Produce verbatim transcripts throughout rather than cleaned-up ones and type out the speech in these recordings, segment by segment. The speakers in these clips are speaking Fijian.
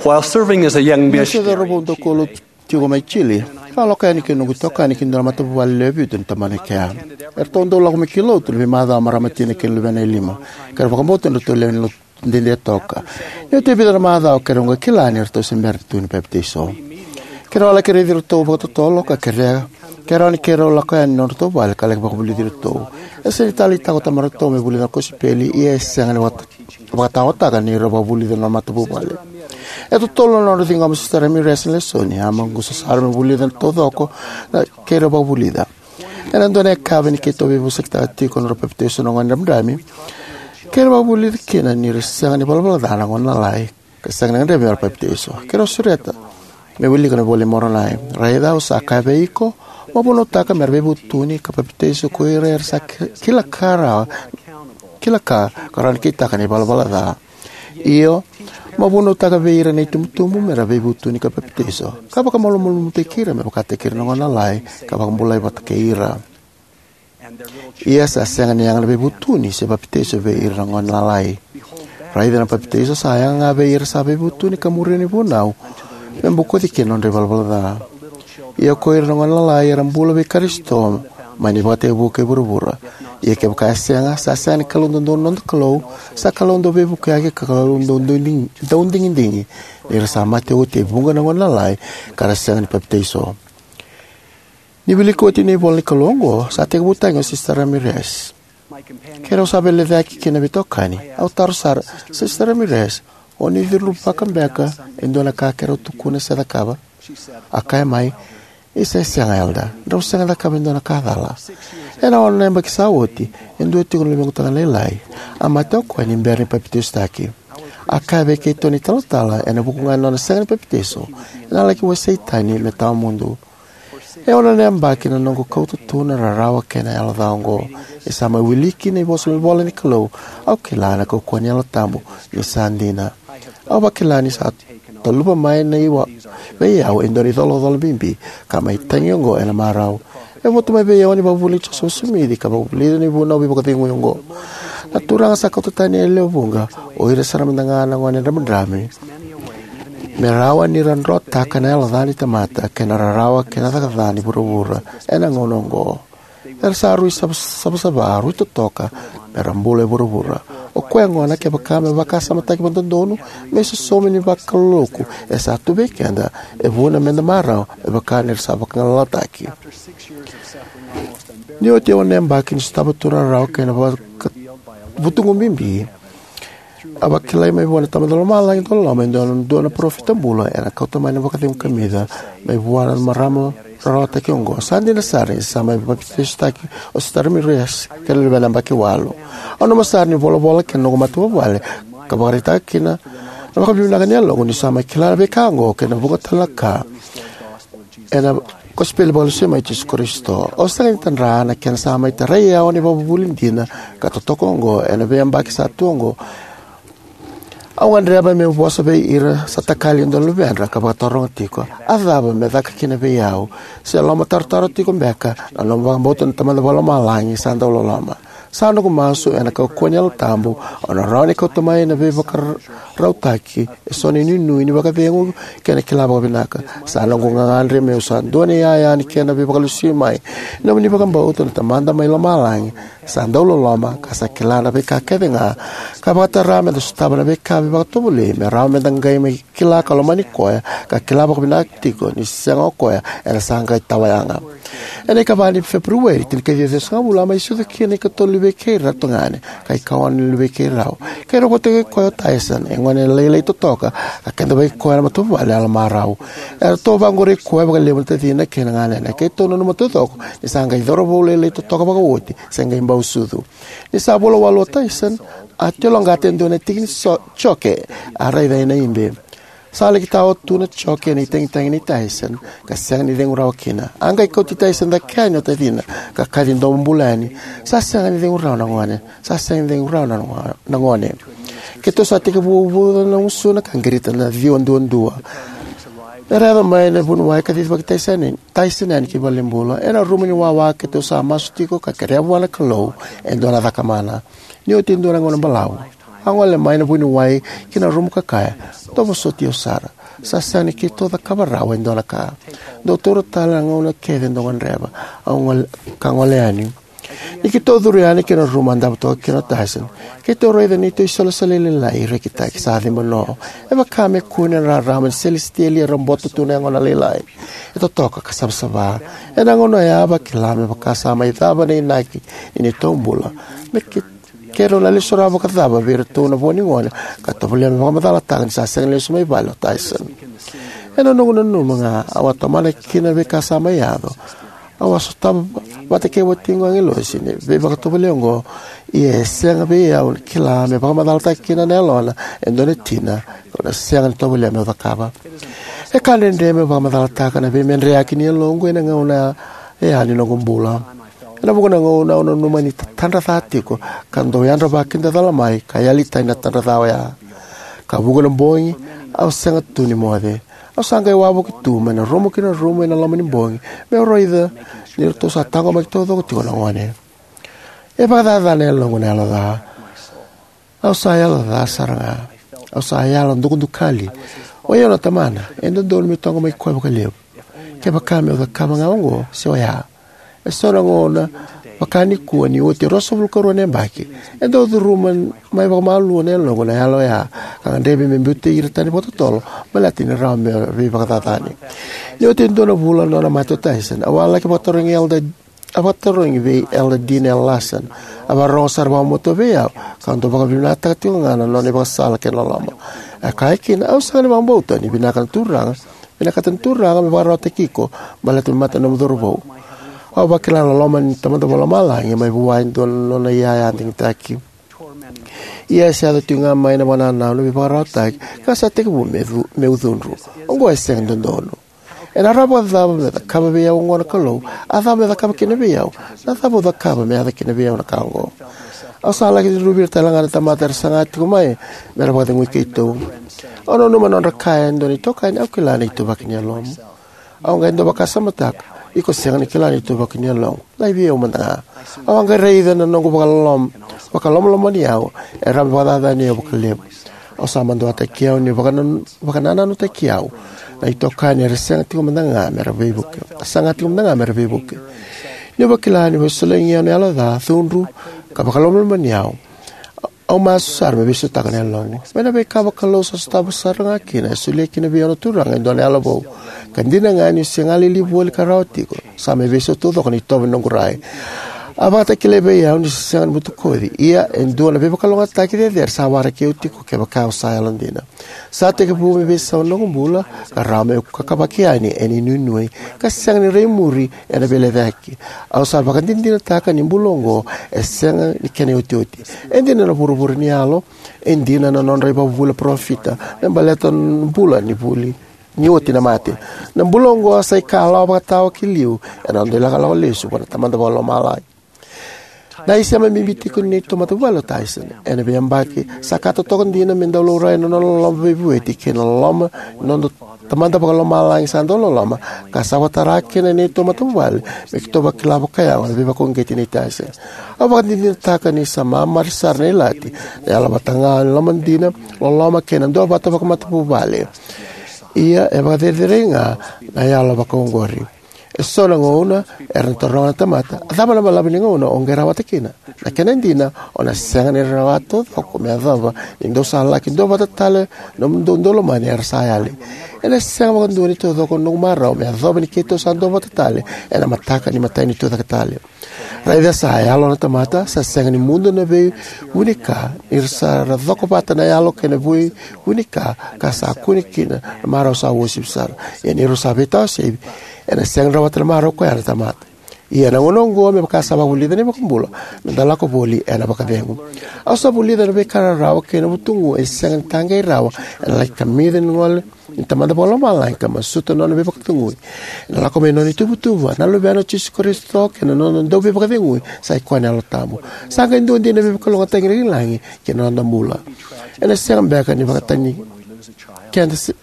While serving as a young Niu se missionary, cauravou daukaulotu tiko mai Chile, au a lako yani kei na noqu itokani ki na dua na matavuvale lewe vitu ni tabana e kea. Eratou dau lako mai ki lotu ena veimacawa marama tina kei na luvena e lima. Keirau vakabauta ni ratou lewe ni lotu dede toka. Ni oti e vica na macawa, keirau qai kila ni ratou se bera tu ni papitaiso. Keirau a laki raici iratou vakatotolo ka kerea, keirau ni keirau lako yani i nodratou vale ka laki vakavulici iratou. E sega ni taleitaka o tamaratou me vulica na kosipeli, ia e sega ni vakata- vakataotaka ni ra vakavulica na matavuvale. E totolo na nodra ciqoma o Sister Ramirez na lesoni, a maqusa sara me vulica taucoko na keirau vakavulica. Ena dua na yakavi ni keitou veivosakitaka tiko na nodra papitaiso na gone dramidrami, keirau vakavulica kina ni ra sega ni valavala ca na gone lalai ka sega ni gadrevi me ra papitaiso. Keirau sureta me wilika na iVola i Moronai: Raica, au sa kaya vei iko, mo vunautaka me ra veivutuni ka papitaiso ko ira era sa ki- kila ka ra kila ka, ka rawa ni kitaka na ivalavala ca. Io, mo vunautaka vei ira na itubutubu me ra veivutuni ka papitaiso, ka vakamalumalumutaki ira me vakataki ira na gone lalai, ka vakabulai vata kei ira. Ia sa sega ni yaga na veivutuni se papitaiso vei ira na gone lalai. Raica, na papitaiso sa yaga ga vei ira sa veivutuni ka muria na vunau me bokoci kina na nodra ivalavala ca. Ia ko ira na gone lalai era bula vei Karisito mai na ivakatekivu kei vuravura. Ia kevaka e sega, sa sega ni Kalou dodonu na noda Kalou, sa Kalou dau veivukiyaki ka Kalou dau digi- dau digidigi, ni ra sa mate oti e vuqa na gone lalai ka ra sega ni papitaiso. Ni wiliki oti na ivola ni Kalou oqo, sa tekivu tagi o Sister Ramirez. Keirau sa veilecayaki kina veitokani. Au taro sara, Sister Ramirez, o ni curuvaka beka e dua na ka keirau tukuna se cakava? A kaya mai, Isa, e sega, Elder. Drau sega ni cakava e dua na ka cala. Ena ono na yabaki sa oti, e dua tiko na luvequ tagane lailai a mate o koya ni bera ni papitaisotaki. A kaya vei keitou na italatala, ena vuku ga ni nona sega ni papitaiso, ena laki wasei tani me tawamudu. E ono na yabaki na noqu kauta tu na rarawa kei na yalo ca oqo. E sa mai wiliki na ivosa mai vola ni Kalou, au kila na kaukauwa ni Yalo Tabu ni sa dina. Au vakila ni sa taluva mai na iwa vei au e dua na icolacola bibi ka mai tagi oqo ena marau. E votu mai vei au na ivakavuvuli nei Josefa Simici ka vakavulica na ivunau veivakacegui oqo. Na Turaga sa kauta tani e lewe vuqa o ira sara mada ga na gone dramidrami me rawa ni ra drotaka na yalo ca ni tamata kei na rarawa kei na caka ca ni vuravura ena gauna oqo. Era sa rui sava- savasava, rui totoka me ra bula e vuravura. O koya gona, kevaka me vakasamataki vakadodonu, me isosomi ni vakaloloku e sa tu vei keda, e vuna meda marau me vaka ni ra sa vagalalataki. Ni oti e ono na yabaki ni sotava tu na rarawa kei na vaka- vutugu bibi, a vakilai mai vua na Tamada Lomalagi dauloloma e dua na dua na parofita bula ena kauta mai na vakacegu kamica mai vua na marama rarawataki oqo. Sa dina sara ni sa mai papitaisotaki o Sister Ramirez kei na luvena yabaki walu. Au nanuma sara ni volavola kei na noqu matavuvale ka vakaraitaka kina na vakavinavinaka ni yaloqu niu sa mai kila na veika oqo kei na vuqa tale na ka ena kosipeli vakalesui mai Jisu Karisito. Au sega ni tadra na kena sa mai tarai au na ivakavuvuli dina ka totoka oqo ena veiyabaki sa tu oqo. Au gadreva meu vosa vei ira sa takali e dua na luvedra ka vakataroga tiko, a cava me caka kina vei au? Se lomatarotaro tiko beka na nomu vakabauta na Tamada Vakalomalagi sa dau loloma? Sa noqu masu ena kaukauwa ni Yalo Tabu, au na rawa ni kauta mai na veivakarautaki eso na inuinui ni vakacegu kei na kila vakavinaka. Sa noqu gagadre meu sa dua na iyaya ni kena veivakalesui mai. Nomuni vakabauta na Tamada mai Lomalagi sa dau loloma ka sa kila na veika kece ga, ka vakatara meda sotava na veika veivakatovolei me rawa meda qai mai kila ka lomani koya ka kila vakavinaka tiko ni sega o koya ena sa qai tawa yaga. Ena ikava ni Feperueri, tinikaciwa ciwasagavulu, a mai sucu kina ikatolu ni vei keirau tagane ka ikaono ni luvei keirau. Keirau vata kei koya o Tyson, e gone lailai totoka, ka keda vei koya na matavuvale yalomarau. Eratou vaqorei koya vakalevu na tacina kei na ganena. Keitou nanuma taucoko ni sa qai cauravou lailai totoka vakaoti, se qai bau sucu. Ni sa vula walu o Tyson, a tiloqata e dua na tiki ni so- joke a raica ena ibe. Sa laki tawa tu na joke ena itagitagi nei Tyson ka sega ni cegu rawa kina. A qai kauti Tyson cake yani o tacina ka kaci domo bula yani. Sa sega ni cegu rawa na gone. Sa sega ni cegu rawa na go- na gone. Keitou sa tekivu uvuca na gusuna ka qirita na ciwa duadua. Era yaco mai na vuniwai ka cicivaki Tyson, Tyson yani ki valenibula. Ena rumu ni wawa keitou sa masu tiko ka kerea vua na Kalou e dua na cakamana. Ni oti e dua na gauna balavu, A gole mai na vuniwai ki na rumu ka kaya, "Dou vosoti au sara. Sa sega ni keitou cakava rawa e dua na ka. Dou taura tale na gauna kece dou gadreva, au gole, ka gole yani." Ni keitou curu yani ki na rumu a davo toka kina o Tyson, keitou raica neitou isolisoli lailai rekitaki sa ciba no. E vaka me kune na rarama ni selesitieli e robota tu na yagona lailai. E totoka ka savasava. Ena gauna oya a vakila me vaka sa mai cava na inaki ni neitou bula. Me ke-, keirau na lesu rawa vakacava vei iratou na vo ni gone ka tovolea me vakamacalataka ni sa sega ni lesu mai vale o Tyson? Ena noqu nanuma ga au a tomana kina na veika sa mai yaco. Au a sotava vata kei watiqu agilosi na veivakatovolei oqo, ia e sega vei au na kila me vakamacalataka kina na yalona e dua na tina kau na sega ni tovolea meu cakava. E ka dredre meu vakamacalataka na veimedreyaki ni yaloqu ena gauna ya ni noqu bula. Ena vuqa na gauna au nanuma ni tatadra ca tiko ka dau yadra vakidacala mai ka yali tani na tadra ca oya. Ka vuqa na bogi au sega tu ni moce. Au sa qai wavoki tu mai na rumu ki na rumu ena loma ni bogi meu raica ni ratou sa taqomaki taucoko tiko na gone. E vakacacana e yaloqu na yalo ca. Au sa yalo ca sara ga. Au sa yalo dukadukali. O yau na tamana, e dodonu meu taqomaki koya vakalevu. Kevaka meu cakava ga oqo se oya. E so na gauna, vaka nikua ni oti e ruasagavulu ka rua na yabaki, e dau curuma mai vakamalua na yaloqu na yalo oya, ka gadrevi me biuti ira tani vakatotolo baleta ni rawa me veivakacacani. Ni oti e dua na vula na nona mate o Tyson, au a laki vakatarogi Elder, a vakatarogi vei Elder Dean L. Larson. A vakarorogo sara vakamatua vei au ka dau vakavinavinakataka tiko ga na nona ivakasala kei na loloma. A kaya kina, "Au sega ni vakabauta ni vinaka na Turaga, vinakata na Turaga me vakararawataki iko baleta me mate na nomu cauravou." Au vakila na loloma ni Tamada Vakalomalagi mai vua e dua na nona iyaya digitaki. Ia e sa yaco tiko ga mai na vakanananu me vakararawataki ka sa tekivu me cu-, meu cudru. Oqo e sega ni dodonu. Ena rawa vakacava me cakava vei au oqo na Kalou? A cava me cakava kina vei au? Na cava au cakava me yaco kina vei au na ka oqo? Au sa laki cudruvi ira tale ga na tamata era saga tiko mai me ra vakacegui keitou. Au nanuma na nodra kaya e dua na itokani, "Au kila na ituvaki ni yalomu." Au qai dau vakasamataka, "Iko sega ni kila na ituvaki ni yaloqu." Lai vei au mada ga. Au a qai raica na noqu vakalom-, vakalomalomani au e rawa me vakacacani au vakalevu. Au sa maduataki au ni vakanan-, vakanananutaki au na itokani era sega tiko mada ga me ra veivuke. Saga tiko mada ga me ra veivuke. Niu vakila ni veisolegi au na yalo ca, cudru, ka vakalomalomani au, au masu sara me veisautaka na yaloqu. Mai na veika vakalou sa sotava sara ga kina, e solia kina vei au na Turaga e dua na yalo vou. Ka dina ga niu se galili voli ka rawa tiko, sa mai veisau taucoko na itovo ni noqu rai. A vakatakilai vei au ni se sega ni butakoci, ia e dua na veivakalougatataki cecere sa waraki au tiko kevaka au sa yalodina. Sa tekivu me veisau na noqu bula, ka rawa meu kakavaki yani ena inuinui, ka sega ni rai muri ena veilecayaki. Au sa vakadinadinataka ni bula oqo e sega ni kena iotioti. E dina na vuravura ni yalo, e dina na nodra ivakavuvuli na parofita me baleta na bula ni vuli ni oti na mate. Na bula oqo sa ikalawa vakatawa ki liu ena noda ilakolako lesu vua na Tamada Vakalomalagi. Na isema bibi tiko ni neitou matavuvale o Tyson. Ena veiyabaki, sa ka totoka dina me dau laurai na nona loloma veivueti kei na loloma ni noda Tamada Vakalomalagi sa dau loloma, ka sa vakatara kina na neitou matavuvale me keitou vakila vakayago na veivakauqeti nei Tyson. Au vakadinadinataka ni sa mamari sara na ilati, na yalo vata ga ni loma dina, loloma kei na duavata vakamatavuvale. Ia e vakacerecerei ga na yalo vakaoqori. E so na gauna era na taroga na tamata, "A cava na balavu ni gauna o qai rawata kina?" Na kena dina, o na sega ni rawa taucoko me yacova ni dou sa laki duavata tale na nomudou daulomani era sa yali. Ena sega vakadua ni taucoko na noqu marau me yacova ni keitou sa duavata tale ena mataka ni imatai ni Tucake Tale. Raica sa yalo na tamata, sa sega ni mudu na veivunika, ni ra sa ra coko vata na yalo kei na veivunika, ka sa kune kina na marau sa uasivi sara. Ia ni rau sa veitawa sevi, ena sega ni rawata na marau koya na tamata. Ia na gauna oqo, me vaka sa vakavulica na iVakabula, me da lako voli ena vakacegu. Au sa vulica na veika rarawa kei na vutugu e sega ni taqei rawa, ena laki kamica ni gole ni Tamada Vakalomalagi ka masuta na nona veivakacegui. Ena lako mai na nona ituvatuva, na Luvena o Jisu Karisito, kei na nona Dauveivakacegui, sa i koya na Yalo Tabu. Sa qai dua dina na veivakalougatataki lagilagi ki na noda bula. Ena sega beka ni vakatani keda se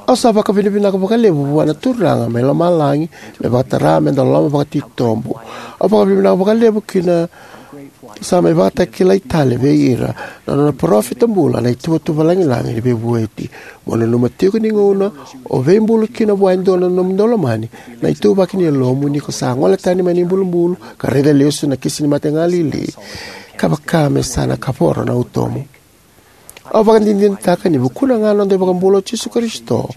Au sa vakavinavinaka vakalevu vua na Turaga mai lomalagi me vakatara me da loloma vakatitobu. Au vakavinavinaka vakalevu ki na Sa mai vakatakilai tale vei ira na nona parofita bula na ituvatuva lagilagi ni veivueti. Mo nanuma tiko ni gauna o veibulu kina vua e dua na nomu daulomani na ituvaki ni yalomu ni ko sa gole tani mai na ibulubulu ka raica lesu na kisi ni mate galili, ka vaka me sa na kavoro na utomu. Au vakadinadinataka ni vukuna ga na noda iVakabula o Jisu Karisito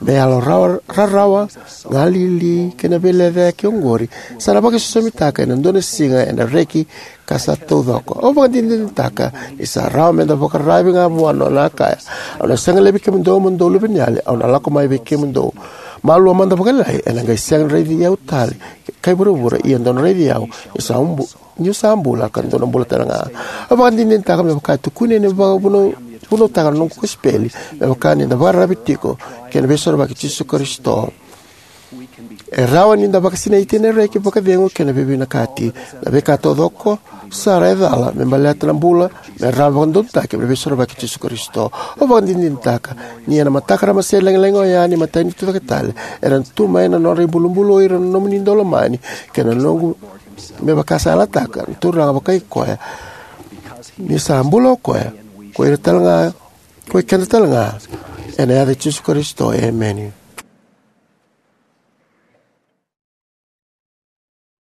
me yalo rawa, rarawa, galili kei na veilecayaki oqori, sa na vakaisosomitaka ena dua na siga ena reki ka sa taucoko. Au vakadinadinataka ni sa rawa meda vakararavi ga vua na nona a kaya: "Au na sega li vei kemudou mo dou luveniyali, au na lako mai vei kemudou. Malua mada vakalailai, ena qai sega ni raici au tale kai vuravura, ia dou na raici au niu sa bu-, niu sa bula ka dou na bula tale ga." Au vakadinadinataka me vaka e tukuni ena vakavunau-, vunautaka na noqu kosipeli, me vaka ni da vakararavi tiko kei na Veisorovaki i Jisu Karisito. E rawa ni da vakasinaiti ena reki, vakacegu kei na veivinakati. Na veika taucoko sara e cala me baleta na bula me rawa vakadodonutaki mai na Veisorovaki i Jisu Karisito. Au vakadinadinataka ni ena mataka ramase lagilagi oya ni iMatai ni Tucaketale, era na tu mai na nodra ibulubulu o ira na nomuni daulomani kei na noqu, me vaka sa yalataka na Turaga vakai koya, ni sa bula o koya, ko ira talega, ko ikeda talega, ena yaca i Jisu Karisito, emeni.